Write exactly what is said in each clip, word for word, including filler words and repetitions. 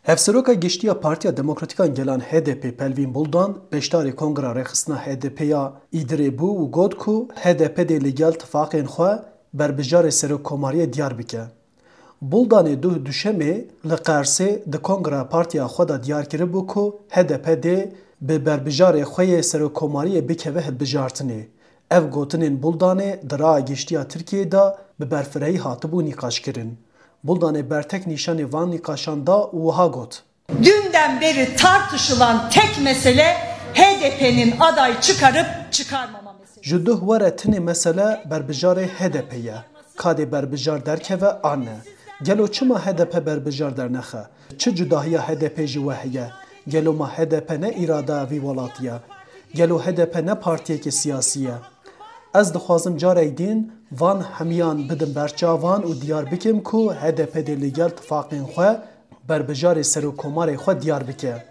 Hevseroka Giştî ya Partiya Demokratîk a Gelan H D P Pelvîn Buldan beşdarê Kongra Rêxistina H D P ya Îdirê bû û got ku H D P dê li gel tifaqên xwe berbijarê serokkomariyê diyar bike. Buldanê duh Duşemê li Qersê di Kongra Partiya xwe de diyar kiribû ku H D P dê bi berbijarê xwe yê serokkomariyê bikeve hilbijartinê. Ev gotinên Buldanê di Raya Giştî ya Tirkiyeyê de bi berfirehî hatibû nîqaşkirin. Buldanê bertek nîşanî van nîqaşan da û wiha got: Dünden beri tartışılan tek mesele H D P'nin aday çıkarıp çıkarmama meselesi. Ji duh were tinê mesele berbijarê H D P ye. Ka dê berbijar derkeve an ne. Gelo çima H D P berbijar dernexe? Çi cudahiya H D P ji we heye? Gelo ma H D P ne îrada vî welatî ye? Gelo H D P ne partiyeke siyasî ye? Ez dixwazim carek din van hemiyan bidim ber çavan û diyar bikim ku H D P dê li gel tifaqên xwe berbijarê serokkomarê xwe diyar bike.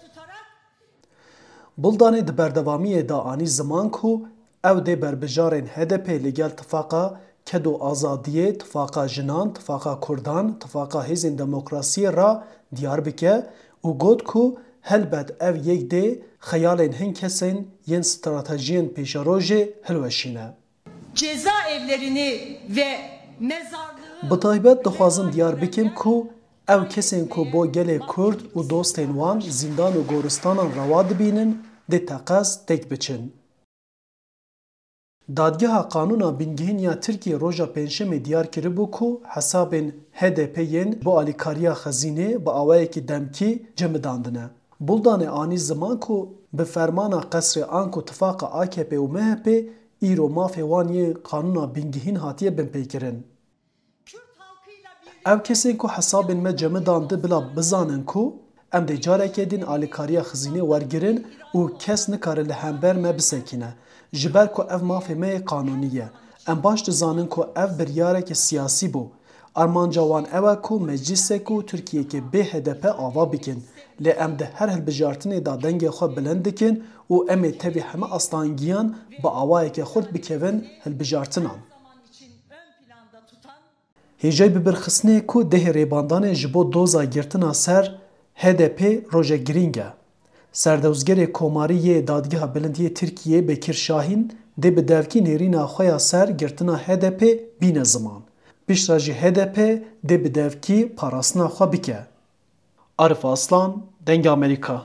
Buldanê di berdewamiyê de anî ziman ku ew dê berbijarên H D P li gel tifaqa Ked û Azadiyê, tifaqa jinan, tifaqa kurdan, tifaqa hêzên demokrasiyê re diyar bike û got ku helbet ev yek dê xeyalên hin kesên yên stratejiyên pêşerojê hilweşîne. Cezaevlerini ve mezarlığı... Bi taybet dixwazim diyar bikim ku ew kesên ku bo gelê Kurd û dostên wan zîndan û goristanan rewa dibînin, dê teqez têk biçin. Dadgeha Qanûna Bingehîn ya Tirkiyê roja Pêncşemê diyar kiribû ku hesabên H D P yên bo alîkariya xezînê bi awayekî demkî cemidandine. Buldanê anî ziman ku bi fermana qesrê anku tifaqa A K P û M H P îro mafê wan yê Qanûna Bingehîn hatiye binpêkirin. Ev kesên ku hesabên me cemidandi bila bizanin ku em dê careke din alîkariya xizînê wergirin û kes nikare li hember me bisekîne, ji ber ku ev mafê me yê qanûnî ye. Em baş dizanin ku ev biryareke siyasî bû. Armanca wan ew e ku meclîsek û Tirkiyeyeke bê H D P ava bikin. Lê em di her hilbijartinê de dengê xwe bilind dikin û em ê tevî heme astangiyan bi awayeke xurt bikevin hilbijartinan. Hêjayî bibirxistinê ku dehê rêbandanê ji bo doza girtina ser H D P rojek girîng e. Serdozgerê Komarî yê Dadgeha Bilind yê Tirkiyê Bekir Şahîn dê bi devkî nêrîna xwe ya ser girtina H D P bîne ziman. Piştre jî H D P dê bi devkî parastina xwe bike. Arif Aslan, Dengê Amerîka.